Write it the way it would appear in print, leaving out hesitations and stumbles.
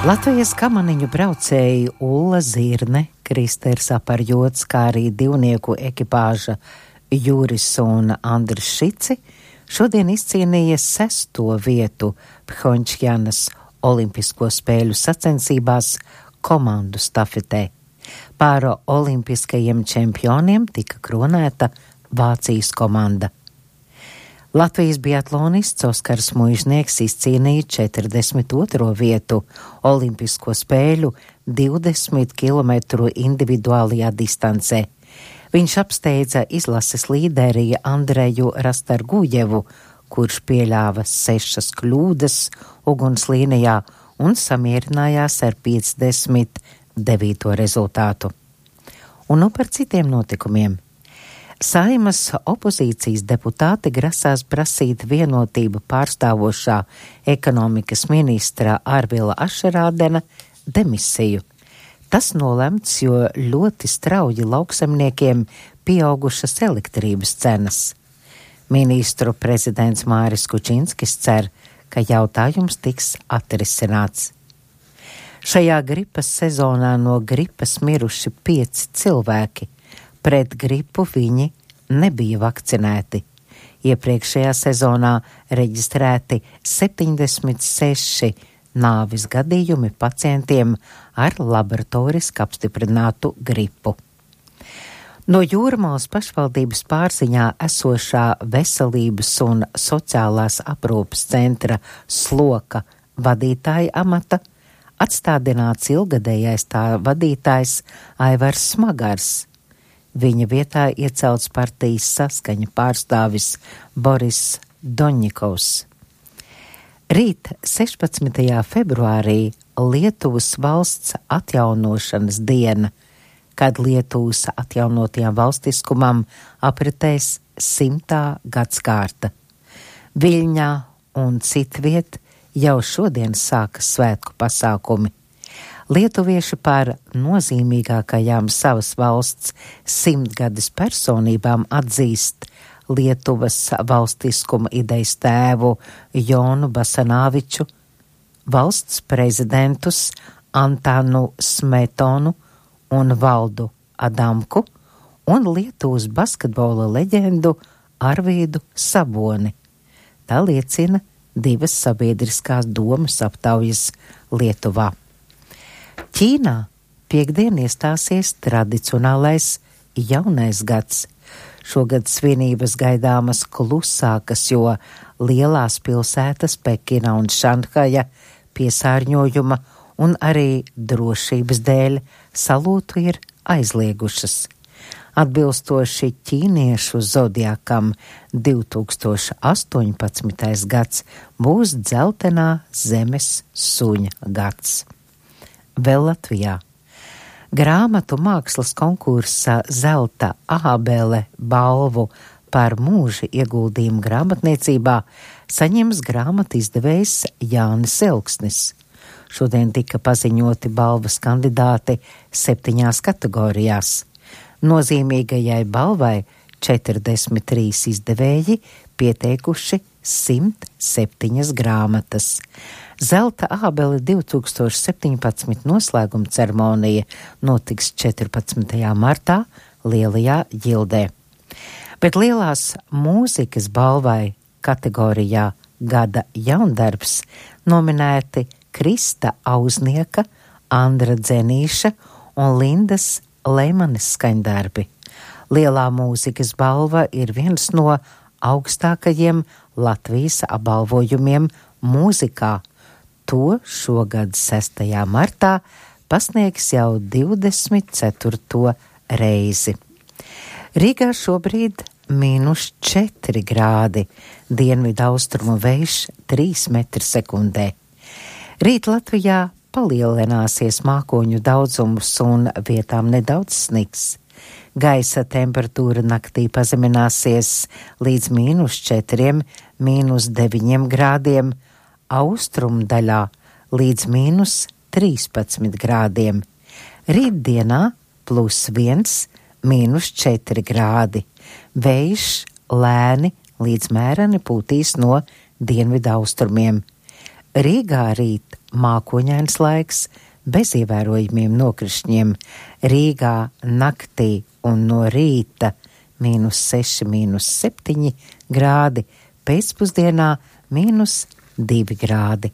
Latvijas kamaniņu braucēji Ulla Zirne, Kristers Aparjots, kā arī divnieku ekipāža Juris un Andris Šici šodien izcīnīja 6. vietu Phjončjanas olimpisko spēļu sacensībās komandu stafetē. Pār olimpiskajiem čempioniem tika kronēta Vācijas komanda. Latvijas biatlonists Oskars Muižnieks izcīnīja 42. vietu olimpisko spēļu 20 km individuālajā distancē. Viņš apsteidza izlases līderi Andreju Rastargujevu, kurš pieļāva 6 kļūdas ugunslīnijā un samierinājās ar 59. rezultātu. Un nu par citiem notikumiem. Saeimas opozīcijas deputāti grasās prasīt vienotību pārstāvošā ekonomikas ministra Arvila Ašerādena demisiju. Tas nolemts, jo ļoti strauji lauksemniekiem pieaugušas elektrības cenas. Ministru prezidents Māris Kučinskis cer, ka jautājums tiks atrisināts. Šajā gripas sezonā no gripas miruši 5 cilvēki. Pret gripu viņi nebija vakcinēti. Iepriekšējā sezonā reģistrēti 76 nāvis gadījumi pacientiem ar laboratoriski apstiprinātu gripu. No Jūrmalas pašvaldības pārziņā esošā veselības un sociālās aprūpes centra Sloka vadītāja amata atstādināts ilgadējais tā vadītājs Aivars Smagars. Viņa vietā iecelts partijas Saskaņa pārstāvis Boris Doņņikovs. Rīt 16. februārī Lietuvas valsts atjaunošanas diena, kad Lietuvas atjaunotajam valstiskumam apritēs 100. gadskārta. Viļņā un citviet jau šodien sākas svētku pasākumi. Lietuvieši par nozīmīgākajām savas valsts 100-gades personībām atzīst Lietuvas valstiskuma idejas tēvu Jonu Basanāviču, valsts prezidentus Antanu Smetonu un Valdu Adamku un Lietuvas basketbola leģendu Arvīdu Saboni. Tā liecina 2 sabiedriskās domas aptaujas Lietuvā. Ķīnā piektdien iestāsies tradicionālais jaunais gads. Šogad svinības gaidāmas klusākas, jo lielās pilsētas Pekina un Šanhaja piesārņojuma un arī drošības dēļ salūtu ir aizliegušas. Atbilstoši ķīniešu zodiakam 2018. gads būs dzeltenā zemes suņa gads. Vēl Latvijā. Grāmatu mākslas konkursa Zelta ābele balvu par mūža ieguldījumu grāmatniecībā saņems grāmatu izdevējs Jānis Elksnis. Šodien tika paziņoti balvas kandidāti 7 kategorijās. Nozīmīgajai balvai 43 izdevēji pieteikuši 107 grāmatas. Zelta ābele 2017 noslēguma ceremonija notiks 14. martā Lielajā ģildē. Bet lielās mūzikas balvai kategorijā Gada jaundarbs nominēti Krista Auznieka, Andra Dzenīša un Lindas Leimanes skaņdarbi. Lielā mūzikas balva ir viens no augstākajiem Latvijas apbalvojumiem mūzikā. To šogad 6. martā pasniegs jau 24. reizi. Rīgā šobrīd -4 grādi, dienvidu austrumu vējš 3 m/sekundē. Rīt Latvijā palielināsies mākoņu daudzums un vietām nedaudz sniks. Gaisa temperatūra naktī pazemināsies līdz -4, -9 grādiem, austrumu daļā līdz -13 grādiem. Rītdienā +1, -4 grādi. Vējš lēni līdz mēreni pūtīs no dienvidu austrumiem. Rīgā rīt mākoņains laiks bez ievērojumiem nokrišņiem. Rīgā naktī un no rīta -6, -7 grādi, pēcpusdienā -2 grādi.